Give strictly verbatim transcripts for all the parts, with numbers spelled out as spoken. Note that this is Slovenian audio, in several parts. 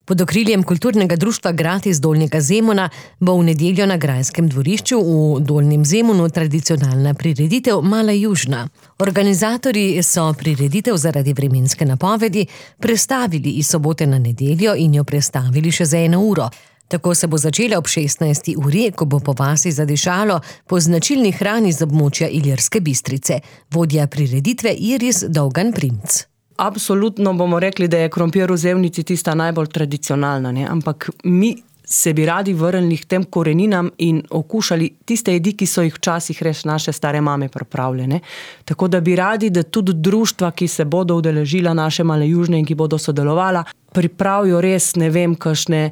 Pod okriljem kulturnega društva Grad iz Dolnjega Zemuna bo v nedeljo na grajskem dvorišču v Dolnjem Zemunu tradicionalna prireditev Mala Južna. Organizatorji so prireditev zaradi vremenske napovedi prestavili iz sobote na nedeljo in jo prestavili še za eno uro. Tako se bo začela ob šestnajsti uri, ko bo po vasi zadišalo po značilni hrani z območja Ilirske Bistrice. Vodja prireditve Iris Dolgan-Primc. Absolutno bomo rekli, da je krompir v Zemnici tista najbolj tradicionalna, ne? Ampak mi se bi radi vrnili k tem koreninam in okušali tiste jedi, ki so jih včasih res naše stare mame pripravljene. Tako da bi radi, da tudi društva, ki se bodo udeležila naše Male Južne in ki bodo sodelovala, pripravijo res, ne vem, kakšne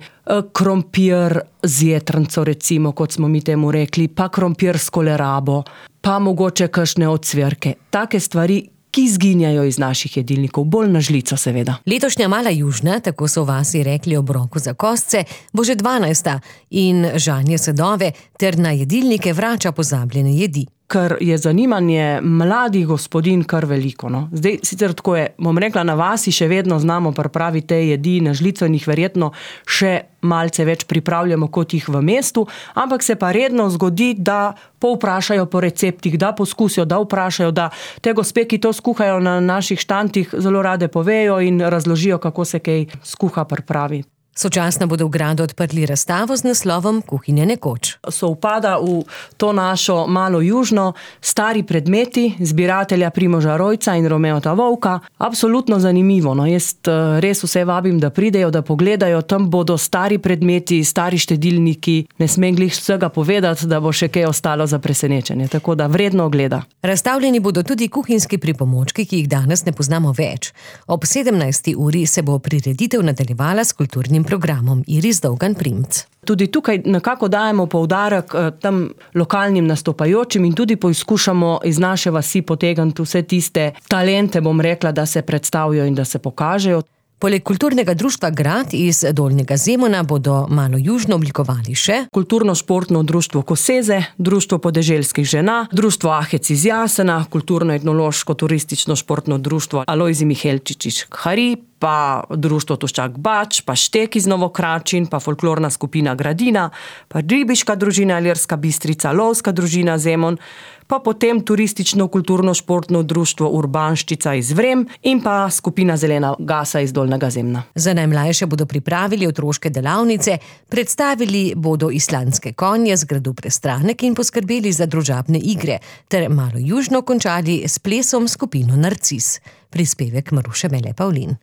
krompir z jetrnco, recimo, kot smo mi temu rekli, pa krompir s kolerabo, pa mogoče kakšne ocvirke. Take stvari, ki izginjajo iz naših jedilnikov, bolj na žlico seveda. Letošnja Mala Južna, tako so v vasi rekli ob roku za kostce, bo že dvanajsta in žanje sadove ter na jedilnike vrača pozabljene jedi. Ker je zanimanje mladih gospodinj kar veliko. No? Zdaj, sicer tako je, bom rekla, na vasi še vedno znamo pripraviti te jedi na žlico in jih verjetno še malce več pripravljamo kot jih v mestu, ampak se pa redno zgodi, da povprašajo po receptih, da poskusijo, da vprašajo, da te gospe, ki to skuhajo na naših štantih, zelo rade povejo in razložijo, kako se kaj skuha pripravi. Sočasno bodo v gradu odprli razstavo z naslovom Kuhinja nekoč. Sovpada v to našo Malo Južno stari predmeti zbiratelja Primoža Rojca in Romeota Vovka. Absolutno zanimivo. No, jaz res vse vabim, da pridejo, da pogledajo. Tam bodo stari predmeti, stari štedilniki. Ne smem glih vsega povedati, da bo še kaj ostalo za presenečenje. Tako da vredno ogleda. Razstavljeni bodo tudi kuhinjski pripomočki, ki jih danes ne poznamo več. Ob sedemnajsti uri se bo prireditev nadaljevala s kulturnim programom Iris Dolgan-Primc. Tudi tukaj nekako dajemo poudarek tam lokalnim nastopajočim in tudi poizkušamo iz naše vasi potegniti vse tiste talente, bom rekla, da se predstavijo in da se pokažejo. Poleg kulturnega društva Grad iz Dolnjega Zemuna bodo Malo Južno oblikovali še kulturno-športno društvo Koseze, društvo podeželskih žena, društvo Ahec iz Jasena, kulturno-etnološko-turistično-športno društvo Alojzij Mihelčič Hari, pa društvo Tuščak Bač, pa Štek iz Novokračin, pa folklorna skupina Gradina, pa ribiška družina Ilirska Bistrica, lovska družina Zemun, pa potem turistično-kulturno-športno društvo Urbanščica iz Vrem in pa skupina Zelena Gasa iz Dolnjega Zemna. Za najmlajše bodo pripravili otroške delavnice, predstavili bodo islandske konje z gradu Prestranek in poskrbeli za družabne igre, ter Malo Južno končali s plesom skupino Narcis. Prispevek Maruše Mele Pavlin.